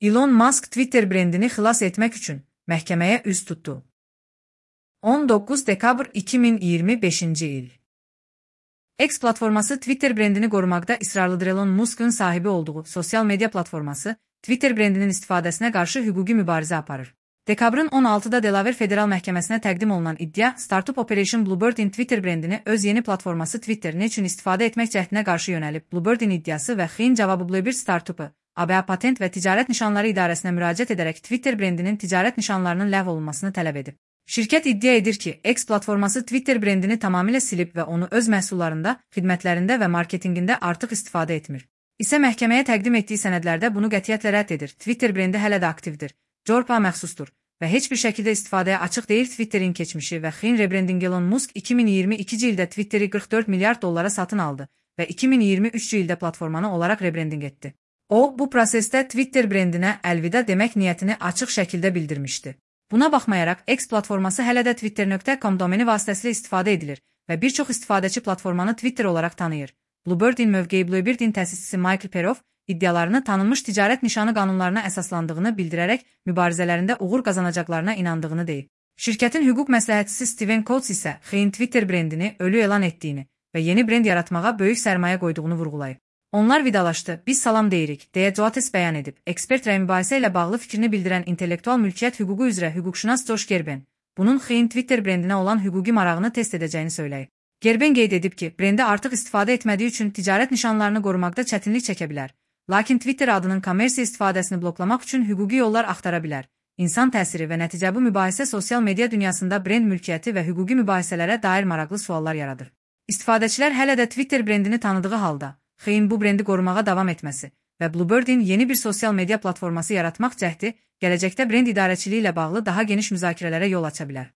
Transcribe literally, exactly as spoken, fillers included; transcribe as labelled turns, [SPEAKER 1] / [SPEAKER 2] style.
[SPEAKER 1] Elon Musk Twitter brendini xilas etmək üçün məhkəməyə üz tutdu. on doqquz dekabr iki min iyirmi beşinci il. X platforması Twitter brendini qorumaqda israrlıdır. Elon Musk'ın sahibi olduğu sosial media platforması Twitter brendinin istifadəsinə qarşı hüquqi mübarizə aparır. Dekabrın on altıda Delaware Federal Məhkəməsinə təqdim olunan iddia, Startup Operation Bluebird'in Twitter brendini öz yeni platforması Twitter ne üçün istifadə etmək cəhdinə qarşı yönəlib. Bluebird'in iddiası və xiyin cavabı Bluebird Startup'ı A B A Patent və Ticarət Nişanları İdarəsinə müraciət edərək Twitter brendinin ticarət nişanlarının ləğv olunmasını tələb edib. Şirkət iddia edir ki, X platforması Twitter brendini tamamilə silib və onu öz məhsullarında, xidmətlərində və marketinqində artıq istifadə etmir. İsə məhkəməyə təqdim etdiyi sənədlərdə bunu qətiyyətlə rədd edir. Twitter brendi hələ də aktivdir, Corpa məxsusdur və heç bir şəkildə istifadəyə açıq deyil. Twitterin keçmişi və xiyin rebrendinq. Elon Musk iki min iyirmi ikinci ildə Twitter'i qırx dörd milyard dollara satın aldı və iki min iyirmi üçüncü ildə platformanı olaraq rebrendinq etdi. O, bu prosesdə Twitter brendinə əlvida demək niyyətini açıq şəkildə bildirmişdi. Buna baxmayaraq, X platforması hələ də twitter nöqtə com domeni vasitəsilə istifadə edilir və bir çox istifadəçi platformanı Twitter olaraq tanıyır. Bluebird'in mövqeyi Bluebird'in təsisçisi Michael Peroff iddialarını tanınmış ticarət nişanı qanunlarına əsaslandığını bildirərək mübarizələrində uğur qazanacaqlarına inandığını deyib. Şirkətin hüquq məsləhətçisi Steven Coates isə xiyin Twitter brendini ölü elan etdiyini və yeni brend yaratmağa böyük sərmayə qoyduğunu vurğulayıb. Onlar vidalaşdı, biz salam deyirik, deyə Coates bəyan edib. Ekspert rəy mübahisə ilə bağlı fikrini bildirən intellektual mülkiyyət hüququ üzrə hüquqşünas Josh Gerben, bunun xiyin Twitter brendinə olan hüquqi marağını test edəcəyini söyləyib. Gerben qeyd edib ki, brendi artıq istifadə etmədiyi üçün ticarət nişanlarını qorumaqda çətinlik çəkə bilər. Lakin Twitter adının kommersiya istifadəsini bloklamaq üçün hüquqi yollar axtara bilər. İnsan təsiri və nəticə bu mübahisə sosial media dünyasında brend mülkiyyəti və hüquqi mübahisələrə dair maraqlı suallar yaradır. İstifadəçilər hələ də Twitter brendini tanıdığı halda, xiyin bu brendi qorumağa davam etməsi və Bluebird'in yeni bir sosial media platforması yaratmaq cəhdi gələcəkdə brend idarəçiliyi ilə bağlı daha geniş müzakirələrə yol aça bilər.